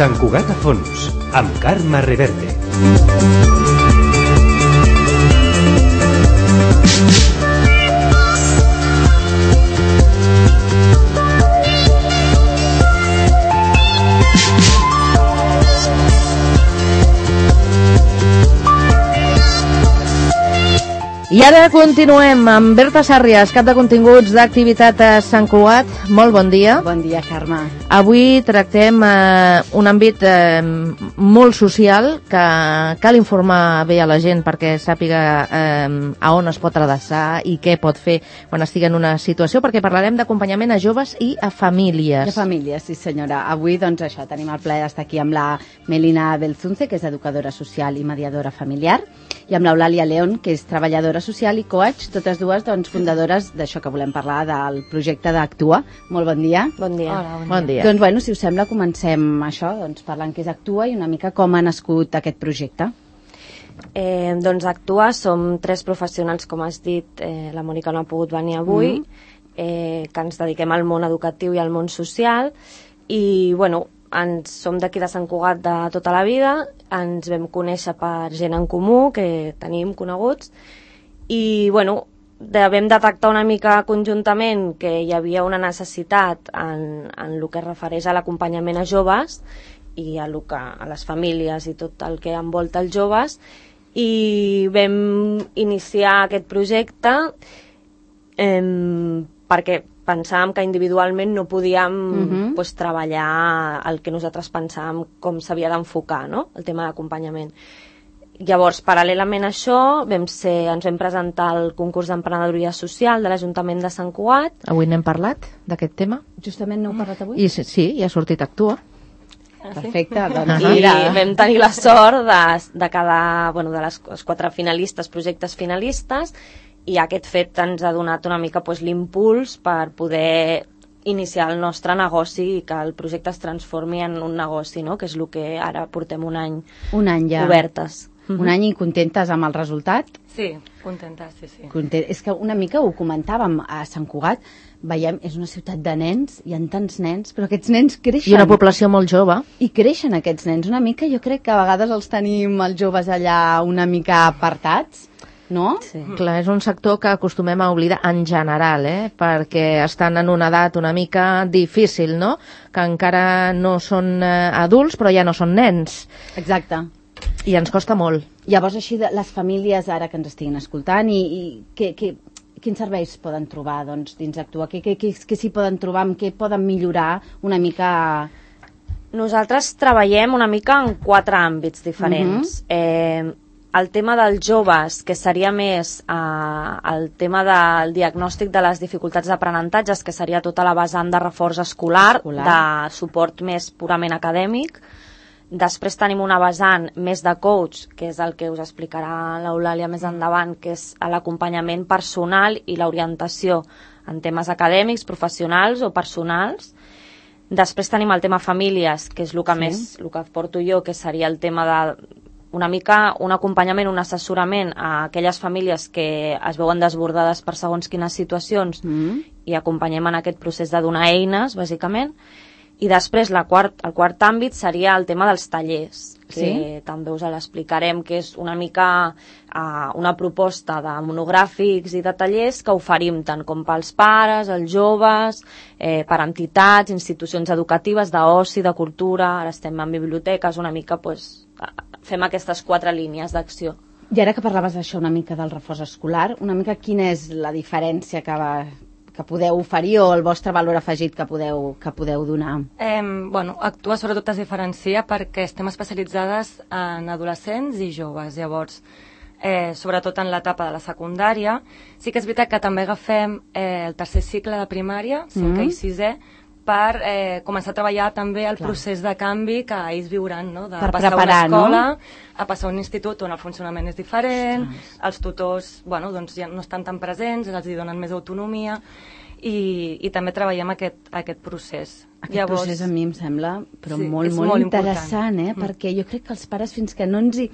Sant Cugat a fons, amb Carme Reverte. I ara continuem amb Berta Sàrries, cap de continguts d'activitat a Sant Cugat. Molt bon dia. Bon dia, Carme. Avui tractem un àmbit molt social que cal informar bé a la gent perquè sàpiga a on es pot adreçar i què pot fer quan estigui en una situació, perquè parlarem d'acompanyament a joves i a famílies. A famílies, sí senyora. Avui, doncs això, tenim el plaer d'estar aquí amb la Melina Belzunce, que és educadora social i mediadora familiar, i amb l'Eulàlia León, que és treballadora social i coach, totes dues doncs, fundadores d'això que volem parlar, del projecte d'Actua. Molt bon dia. Bon dia. Hola, bon dia. Doncs, bueno, si us sembla, comencem això, doncs, parlant què és Actua i una mica com ha nascut aquest projecte. Doncs Actua som 3 professionals, com has dit, la Mònica no ha pogut venir avui, que ens dediquem al món educatiu i al món social, i, bueno, som d'aquí de Sant Cugat de tota la vida, ens vam conèixer per gent en comú que tenim coneguts, i bueno, vam detectar una mica conjuntament que hi havia una necessitat en el que es refereix a l'acompanyament a joves i a les famílies i tot el que envolta els joves, i vam iniciar aquest projecte perquè pensàvem que individualment no podíem treballar el que nosaltres pensàvem com s'havia d'enfocar, no? El tema d'acompanyament. Llavors, paral·lelament a això, ens vam presentar al concurs d'emprenedoria social de l'Ajuntament de Sant Cugat. Avui n'hem parlat, d'aquest tema? Justament n'heu parlat avui? I sí, ja ha sortit Actua. Perfecte, doncs I vam tenir la sort de les 4 finalistes, projectes finalistes, i aquest fet ens ha donat una mica l'impuls per poder iniciar el nostre negoci i que el projecte es transformi en un negoci, no? Que és el que ara portem un any ja obertes. Un any i contentes amb el resultat? Sí, contentes, sí. És que una mica ho comentàvem a Sant Cugat, veiem, és una ciutat de nens, hi ha tants nens, però aquests nens creixen. I una població molt jove. I creixen aquests nens, una mica, jo crec que a vegades els tenim els joves allà una mica apartats, no? Sí. Clar, és un sector que acostumem a oblidar en general, perquè estan en una edat una mica difícil, no? Que encara no són adults, però ja no són nens. Exacte. I ens costa molt. Llavors, així, les famílies ara que ens estiguin escoltant, quins serveis poden trobar dins Actua? Què s'hi poden trobar? Amb què poden millorar una mica? Nosaltres treballem una mica en 4 àmbits diferents. El tema dels joves, que seria més el tema del diagnòstic de les dificultats d'aprenentatges, que seria tota la vessant de reforç escolar, de suport més purament acadèmic. Després tenim una vessant més de coach, que és el que us explicarà l'Eulàlia més endavant, que és l'acompanyament personal i l'orientació en temes acadèmics, professionals o personals. Després tenim el tema famílies, que és el que porto jo, que seria el tema de una mica un acompanyament, un assessorament a aquelles famílies que es veuen desbordades per segons quines situacions i acompanyem en aquest procés de donar eines, bàsicament. I després el quart àmbit seria el tema dels tallers, que també us l'explicarem, que és una mica una proposta de monogràfics i de tallers que oferim tant com pels pares, els joves, per entitats, institucions educatives, d'oci, de cultura, ara estem en biblioteques, una mica fem aquestes 4 línies d'acció. I ara que parlaves d'això una mica del reforç escolar, una mica quina és la diferència que podeu oferir o el vostre valor afegit que podeu donar? Actua sobretot es diferencia perquè estem especialitzades en adolescents i joves, llavors sobretot en l'etapa de la secundària. Sí que és veritat que també agafem el tercer cicle de primària, 5è i 6è, per començar a treballar també el procés de canvi que ells viuran, no? De passar una escola a passar un institut on el funcionament és diferent, els tutors ja no estan tan presents, els donen més autonomia i també treballem aquest procés. Aquest procés a mi em sembla molt interessant, perquè jo crec que els pares fins que no ens hi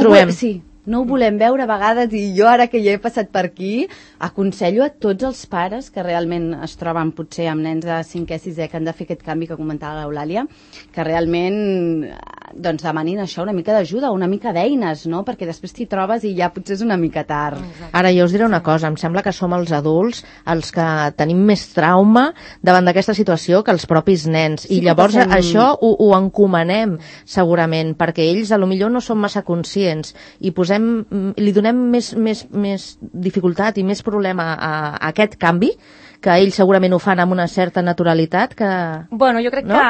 trobem. Sí, no ho volem veure a vegades, i jo ara que ja he passat per aquí, aconsello a tots els pares que realment es troben potser amb nens de 5è, 6è que han de fer aquest canvi que comentava l'Eulàlia, que realment doncs demanin això, una mica d'ajuda, una mica d'eines, no? Perquè després t'hi trobes i ja potser és una mica tard. Ara jo us diré una cosa, em sembla que som els adults els que tenim més trauma davant d'aquesta situació que els propis nens, i llavors això ho encomanem segurament, perquè ells a lo millor no són massa conscients i li donem més dificultat i més problema a aquest canvi, que ells segurament ho fan amb una certa naturalitat que... Bueno, jo crec no?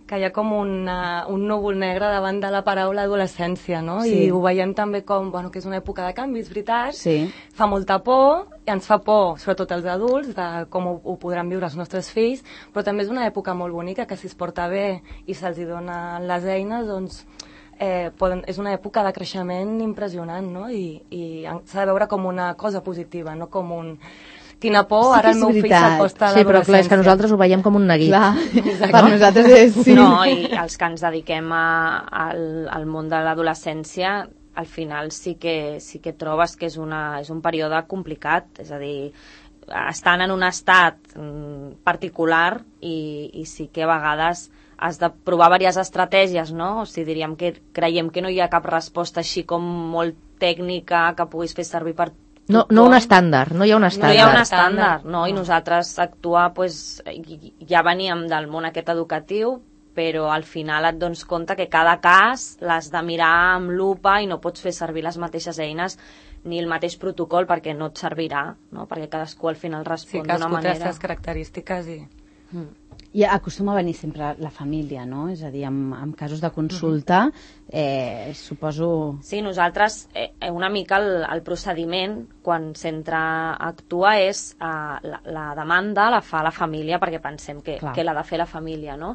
que hi ha com un núvol negre davant de la paraula adolescència, no? Sí. I ho veiem també com, bueno, que és una època de canvis, veritat, Sí. fa molta por, i ens fa por, sobretot els adults, de com ho podran viure els nostres fills, però també és una època molt bonica, que si es porta bé i se'ls donen les eines, doncs és una època de creixement impressionant, no? I s'ha de veure com una cosa positiva, no com un... Quina por, Sí, ara el és meu fill veritat. s'acosta a Sí, però clar, és que l'adolescència. nosaltres ho veiem com un neguit. Clar, per nosaltres és... Sí. No, i els que ens dediquem al món de l'adolescència, al final sí que trobes que és un període complicat, és a dir, estan en un estat particular i sí que a vegades has de provar diverses estratègies, no? O sigui, diríem que creiem que no hi ha cap resposta així com molt tècnica que puguis fer servir per No un estàndard, no hi ha un estàndard. no hi ha un estàndard, no? I nosaltres actuar, pues, ja veníem del món aquest educatiu, però al final et dones compte que cada cas l'has de mirar amb lupa i no pots fer servir les mateixes eines ni el mateix protocol perquè no et servirà, no? Perquè cadascú al final respon d'una cadascú té les manera. seves característiques i... I acostuma a venir sempre la família, no? És a dir, en casos de consulta, suposo... Sí, nosaltres una mica el procediment quan centre actua és la demanda la fa la família perquè pensem que l'ha de fer la família, no?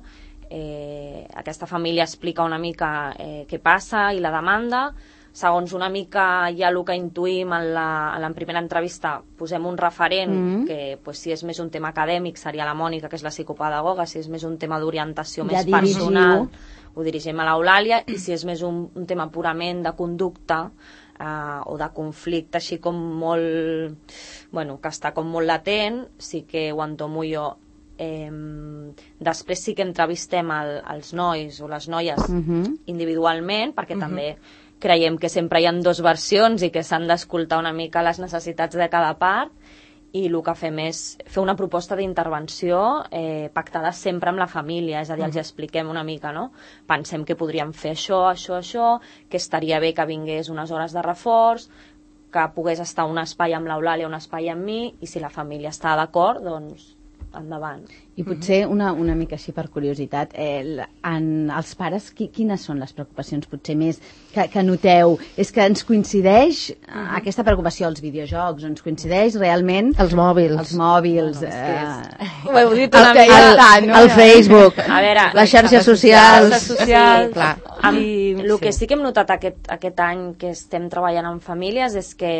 Aquesta família explica una mica què passa i la demanda. Segons una mica ja el que intuïm en la primera entrevista, posem un referent que pues, si és més un tema acadèmic seria la Mònica, que és la psicopedagoga, si és més un tema d'orientació més personal ho dirigim a l'Eulàlia, i si és més un tema purament de conducta o de conflicte així com molt... bueno, que està com molt latent, sí que ho entomo jo. Després sí que entrevistem els nois o les noies individualment, perquè també creiem que sempre hi ha dues versions i que s'han d'escoltar una mica les necessitats de cada part, i el que fem és fer una proposta d'intervenció pactada sempre amb la família, és a dir, els expliquem una mica, no? Pensem que podríem fer això, que estaria bé que vingués unes hores de reforç, que pogués estar un espai amb l'Eulàlia, un espai amb mi, i si la família està d'acord, doncs endavant. I potser una mica així per curiositat, els pares, quines són les preocupacions potser més que noteu? És que ens coincideix aquesta preocupació als videojocs, ens coincideix realment... Els mòbils. Els mòbils. Ho heu dit una mica. El Facebook, A veure, les xarxes socials. Les socials. Clar. El que sí que hem notat aquest any que estem treballant amb famílies és que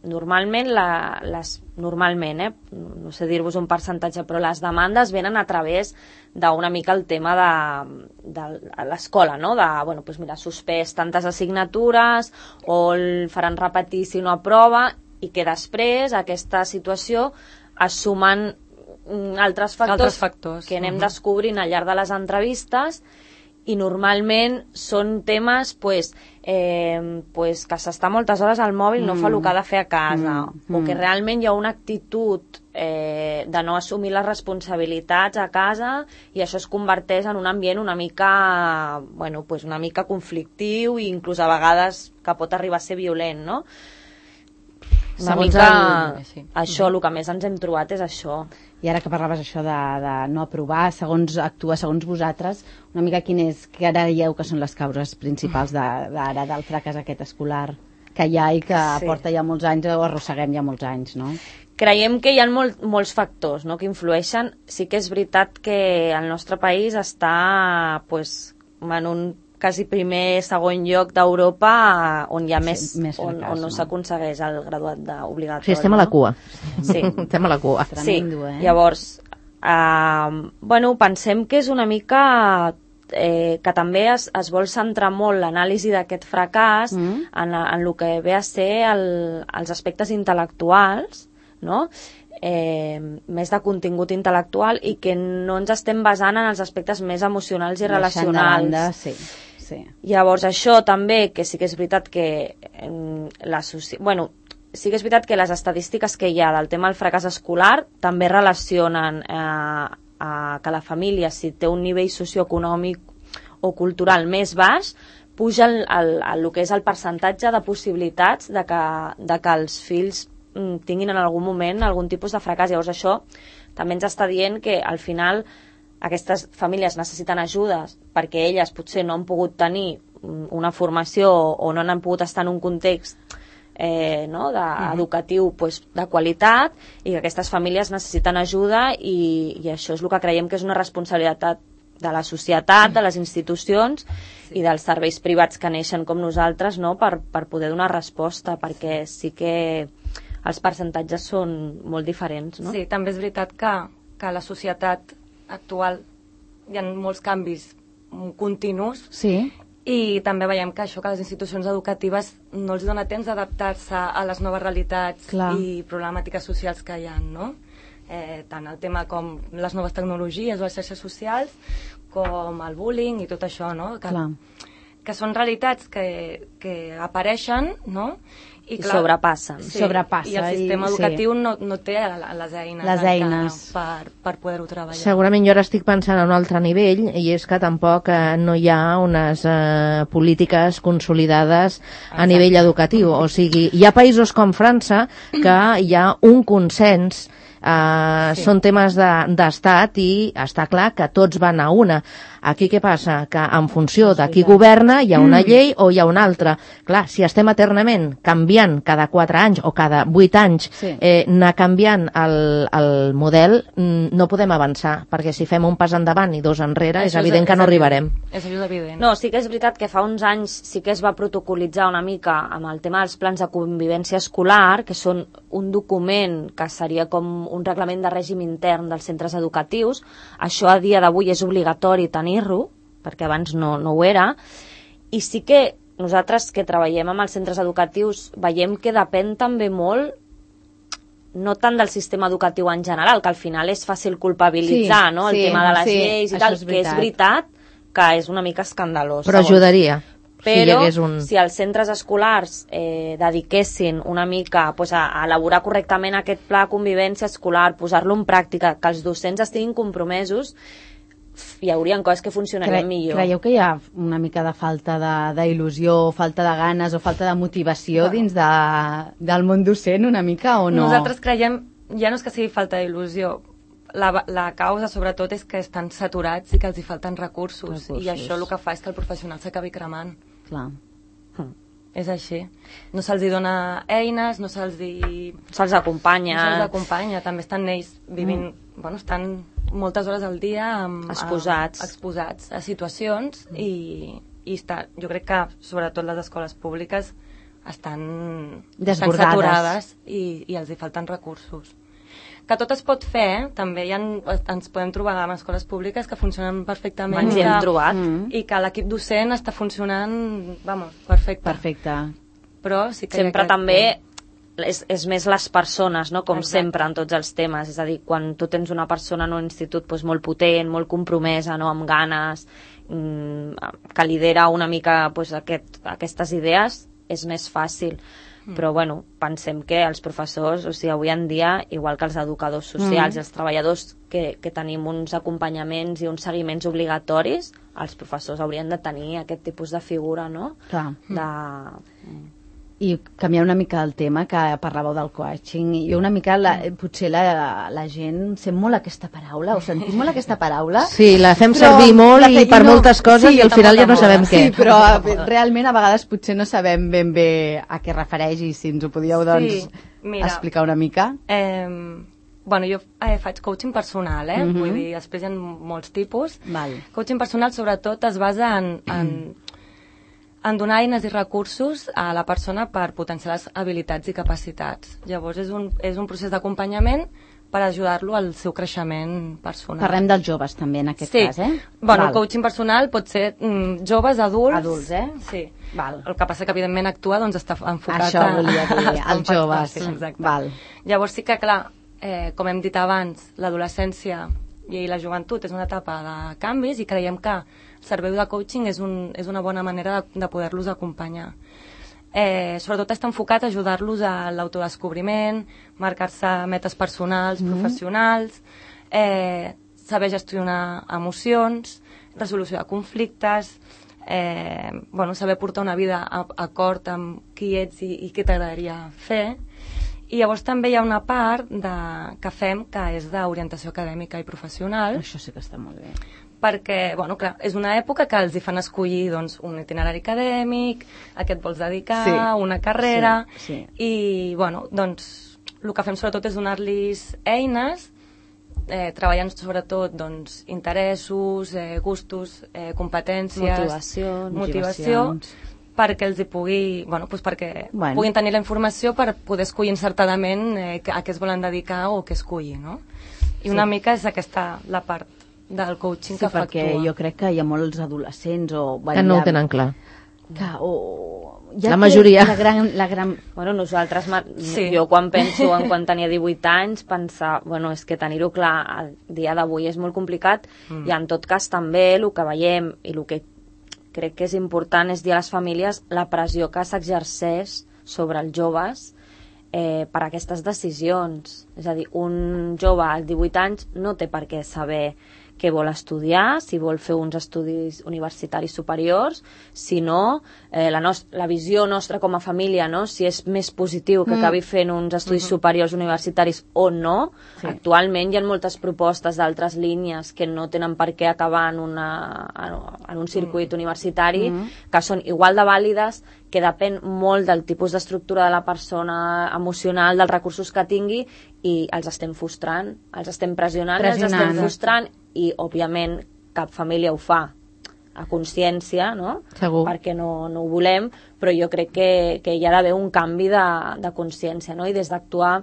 normalment, no sé dir-vos un percentatge, però les demandes venen a través d'una mica el tema de l'escola, no? Bueno, doncs mira, suspès tantes assignatures o el faran repetir si no aprova, i que després a aquesta situació es sumen altres factors que anem descobrint al llarg de les entrevistes, i normalment són temes que s'està moltes hores al mòbil, no fa el que ha de fer a casa, o que realment hi ha una actitud de no assumir les responsabilitats a casa, i això es converteix en un ambient una mica conflictiu, i inclús a vegades que pot arribar a ser violent, no? Una mica això, el que més ens hem trobat és això. I ara que parlaves això de no aprovar, actuar segons vosaltres, una mica que creieu que són les causes principals d'ara del fracàs aquest escolar que hi ha i que porta ja molts anys, o arrosseguem ja molts anys, no? Creiem que hi ha molts factors, no?, que influeixen. Sí que és veritat que el nostre país està en un quasi segon lloc d'Europa on hi ha més fracàs, on no s'aconsegueix el graduat obligatori. Sí, estem a la cua. Sí. Estem a la cua. Tremendo, Llavors, pensem que és una mica que també es vol centrar molt l'anàlisi d'aquest fracàs en el que ve a ser els aspectes intel·lectuals, no? Més de contingut intel·lectual, i que no ens estem basant en els aspectes més emocionals i relacionals. Sí. Llavors això també, que sí que és veritat que sí que és veritat que les estadístiques que hi ha del tema del fracàs escolar també relacionen que la família, si té un nivell socioeconòmic o cultural més baix, puja el que és el percentatge de possibilitats de que els fills tinguin en algun moment algun tipus de fracàs. Llavors això també ens està dient que al final aquestes famílies necessiten ajudes perquè elles potser no han pogut tenir una formació o no han pogut estar en un context educatiu de qualitat, i que aquestes famílies necessiten ajuda, i això és el que creiem que és una responsabilitat de la societat, de les institucions i dels serveis privats que neixen com nosaltres, no? per poder donar resposta, perquè sí que els percentatges són molt diferents, no? Sí, també és veritat que la societat actual hi ha molts canvis continus, sí. I també veiem que això, que les institucions educatives no els dona temps d'adaptar-se a les noves realitats i problemàtiques socials que hi ha, no? Tant el tema com les noves tecnologies o les xarxes socials, com el bullying i tot això, no? Que són realitats que apareixen, no? I sobrepassen. Sí, i el sistema educatiu no té les eines per poder-ho treballar. Segurament jo ara estic pensant a un altre nivell, i és que tampoc no hi ha unes polítiques consolidades a nivell educatiu. O sigui, hi ha països com França que hi ha un consens, són temes d'estat, i està clar que tots van a una. Aquí què passa? Que en funció de qui governa hi ha una llei o hi ha una altra. Clar, si estem eternament canviant cada 4 anys o cada 8 anys, anar canviant el model, no podem avançar, perquè si fem un pas endavant i 2 enrere, és evident que no arribarem. És evident. No, sí que és veritat que fa uns anys sí que es va protocolitzar una mica amb el tema dels plans de convivència escolar, que són un document que seria com un reglament de règim intern dels centres educatius. Això a dia d'avui és obligatori tenir-lo, perquè abans no ho era, i sí que nosaltres que treballem amb els centres educatius veiem que depèn també molt, no tant del sistema educatiu en general, que al final és fàcil culpabilitzar, no? El tema de les lleis i tal, que és veritat que és una mica escandalós. Però ajudaria. Però si els centres escolars dediquessin una mica a elaborar correctament aquest pla de convivència escolar, posar-lo en pràctica, que els docents estiguin compromesos, hi haurien coses que funcionarien millor. Creieu que hi ha una mica de falta d'il·lusió, falta de ganes o falta de motivació dins del món docent una mica, o no? Nosaltres creiem, ja no és que sigui falta d'il·lusió, la causa sobretot és que estan saturats i que els hi falten recursos. I això el que fa és que el professional s'acabi cremant. Clar. És així. No se'ls dona eines, no se'ls acompanya. També estan ells vivint, estan moltes hores al dia exposats a situacions, i jo crec que sobretot les escoles públiques estan saturades i els hi falten recursos. Que tot es pot fer, també ens podem trobar amb escoles públiques que funcionen perfectament. Ens hi hem trobat. I que l'equip docent està funcionant, perfecte. Però sí que sempre també és més les persones, no? Com sempre en tots els temes. És a dir, quan tu tens una persona en un institut molt potent, molt compromesa, no? Amb ganes, que lidera una mica aquestes idees, és més fàcil. Però pensem que els professors, avui en dia, igual que els educadors socials i els treballadors que tenim uns acompanyaments i uns seguiments obligatoris, els professors haurien de tenir aquest tipus de figura, no? Clar. I canviar una mica el tema, que parlàveu del coaching, i una mica, potser la gent sent molt aquesta paraula, o sentim molt aquesta paraula. Sí, la fem servir molt i per moltes coses, i al final ja no sabem què. Sí, però realment a vegades potser no sabem ben bé a què refereix, i si ens ho podíeu explicar una mica. Jo faig coaching personal, vull dir, després hi ha molts tipus. Coaching personal sobretot es basa en donar eines i recursos a la persona per potenciar les habilitats i capacitats. Llavors és un procés d'acompanyament per ajudar-lo al seu creixement personal. Parlem dels joves també en aquest Sí. cas, eh? Bueno, Val. el coaching personal pot ser joves, adults... Adults, eh? Sí. Val. El que passa que, evidentment, actua, doncs, està enfocat Això volia dir, als joves. Sí, exacte. Val. Llavors sí que, clar, com hem dit abans, l'adolescència i la joventut és una etapa de canvis i creiem que el servei de coaching és una bona manera de poder-los acompanyar. Sobretot està enfocat a ajudar-los a l'autodescobriment, marcar-se metes personals, professionals, saber gestionar emocions, resolució de conflictes, saber portar una vida d'acord amb qui ets i què t'agradaria fer. I llavors també hi ha una part que fem que és d'orientació acadèmica i professional. Això sí que està molt bé. Perquè, bueno, clar, és una època que els hi fan escollir doncs, un itinerari acadèmic, a què et vols dedicar, una carrera, i, bueno, doncs, el que fem sobretot és donar-los eines, treballant sobretot doncs, interessos, gustos, competències, motivació, perquè els hi pugui, puguin tenir la informació per poder escollir encertadament a què es volen dedicar o què escollir, no? I una mica és aquesta la part del coaching que fa perquè jo crec que hi ha molts adolescents que no ho tenen clar. La majoria. La gran... Bueno, nosaltres, jo quan penso en quan tenia 18 anys, pensar, bueno, és que tenir-ho clar al dia d'avui és molt complicat i en tot cas també el que veiem i el que crec que és important és dir a les famílies la pressió que s'exerceix sobre els joves per aquestes decisions. És a dir, un jove als 18 anys no té per què saber què vol estudiar, si vol fer uns estudis universitaris superiors, si no, la visió nostra com a família, no? Si és més positiu que acabi fent uns estudis superiors universitaris o no. Actualment hi ha moltes propostes d'altres línies que no tenen per què acabar en un circuit universitari, que són igual de vàlides, que depèn molt del tipus d'estructura de la persona emocional, dels recursos que tingui, i els estem frustrant, els estem pressionant, els estem frustrant, i, òbviament, cap família ho fa a consciència, no? Segur. Perquè no ho volem, però jo crec que hi ha d'haver un canvi de consciència, no? I des d'actuar,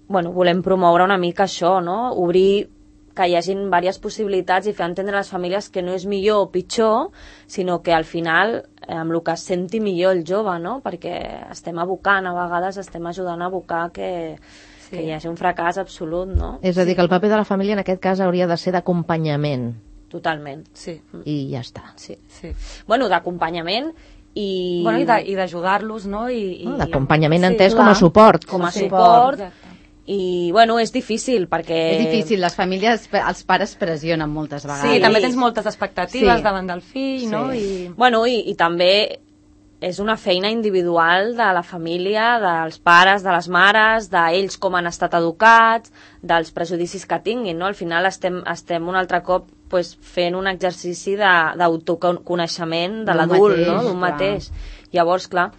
volem promoure una mica això, no? Obrir que hi hagin diverses possibilitats i fer entendre a les famílies que no és millor o pitjor, sinó que al final, amb el que es senti millor el jove, no? Perquè estem abocant, a vegades estem ajudant a abocar que hi hagi un fracàs absolut, no? És a dir, que el paper de la família en aquest cas hauria de ser d'acompanyament. Totalment. Sí. I ja està. Sí. Bueno, d'acompanyament i... Bueno, i d'ajudar-los, no? D'acompanyament entès com a suport. Com a suport. I, bueno, és difícil, perquè... És difícil, les famílies, els pares pressionen moltes vegades. Sí, també tens moltes expectatives davant del fill, no? Bueno, i també és una feina individual de la família, dels pares, de les mares, d'ells com han estat educats, dels prejudicis que tinguin, no? Al final estem un altre cop fent un exercici d'autoconeixement de l'adult, no? D'un mateix. Llavors, clar,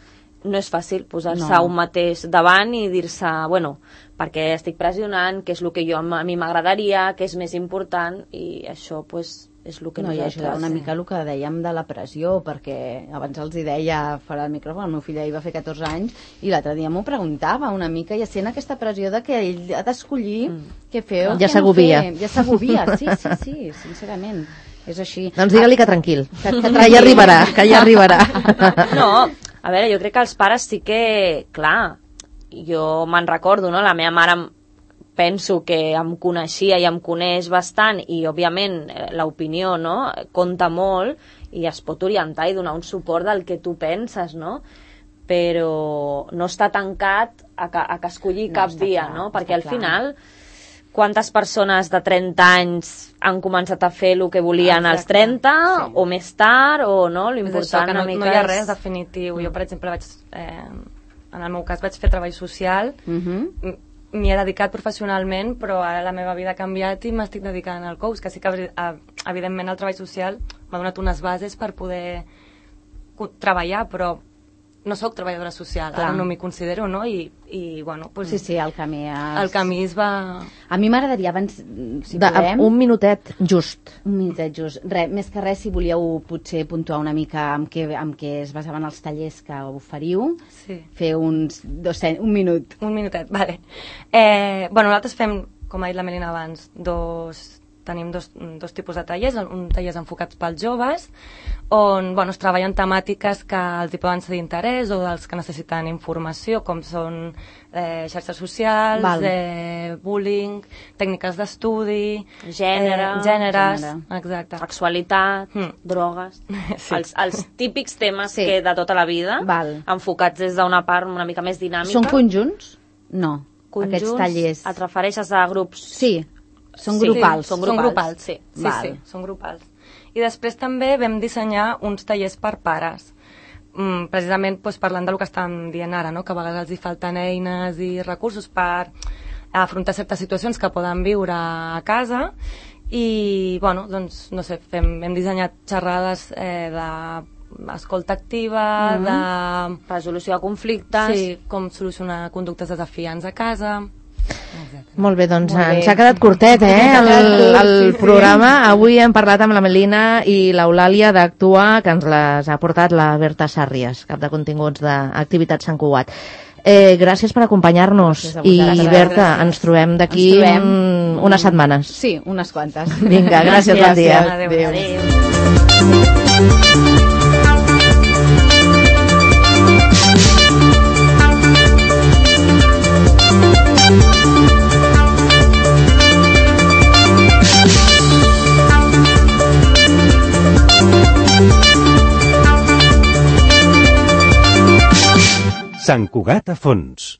no és fàcil posar-se un mateix davant i dir-se, bueno, perquè estic pressionant, què és el que a mi m'agradaria, què és més important, i això, és el que nosaltres... I ajuda una mica el que dèiem de la pressió, perquè abans els hi deia fora del micròfon, el meu fill ahir va fer 14 anys, i l'altre dia m'ho preguntava una mica, i sent aquesta pressió de que ell ha d'escollir què fer o ja què no s'agobia. fer. Ja s'agobia, sí, sincerament. És així. Doncs digue-li que tranquil, que ja arribarà, que ja arribarà. No, a veure, jo crec que els pares sí que, clar, jo me'n recordo, no? La meva mare penso que em coneixia i em coneix bastant i, òbviament, l'opinió, no? Compta molt i es pot orientar i donar un suport del que tu penses, no? Però no està tancat a que escollir cap via, no? Perquè al final, quantes persones de 30 anys han començat a fer el que volien als 30 o més tard, o no? L'important una mica no hi ha res definitiu. Jo, per exemple, en el meu cas vaig fer treball social, m'hi he dedicat professionalment, però ara la meva vida ha canviat i m'estic dedicant al coach, que sí que evidentment el treball social m'ha donat unes bases per poder treballar, però no sóc treballadora social, ara no m'hi considero, no? I bueno, pues, sí, el camí el camí es va... A mi m'agradaria abans, si podem... Un minutet just. Un minutet just. Més que res, si volíeu potser puntuar una mica amb què es basaven els tallers que oferiu, fer un minut. Un minutet, vale. Bueno, nosaltres fem com ha dit la Melina abans, tenim dos tipus de tallers, un tallers enfocats pels joves, on es treballen temàtiques que els hi poden ser d'interès o dels que necessiten informació, com són xarxes socials, bullying, tècniques d'estudi, gèneres, exacte. Sexualitat, drogues, els típics temes que de tota la vida, enfocats des d'una part una mica més dinàmica. Són conjunts? No, aquests tallers. Et refereixes a grups? Sí. Són grupals. Són grupals, sí, són grupals. I després també vam dissenyar uns tallers per pares, precisament parlant del que estàvem dient ara, que a vegades els hi falten eines i recursos per afrontar certes situacions que poden viure a casa i, no sé, hem dissenyat xerrades d'escolta activa, de resolució de conflictes, sí, com solucionar conductes desafiants a casa. Molt bé, doncs ens ha quedat curtet, el programa. Avui hem parlat amb la Melina i l'Eulàlia d'Actua, que ens les ha portat la Berta Sàrries, cap de continguts d'activitats Sant Cugat. Gràcies per acompanyar-nos i Berta, ens trobem d'aquí unes setmanes. Sí, unes quantes. Vinga, gràcies, bon dia. Adéu. Sant Cugat a fons.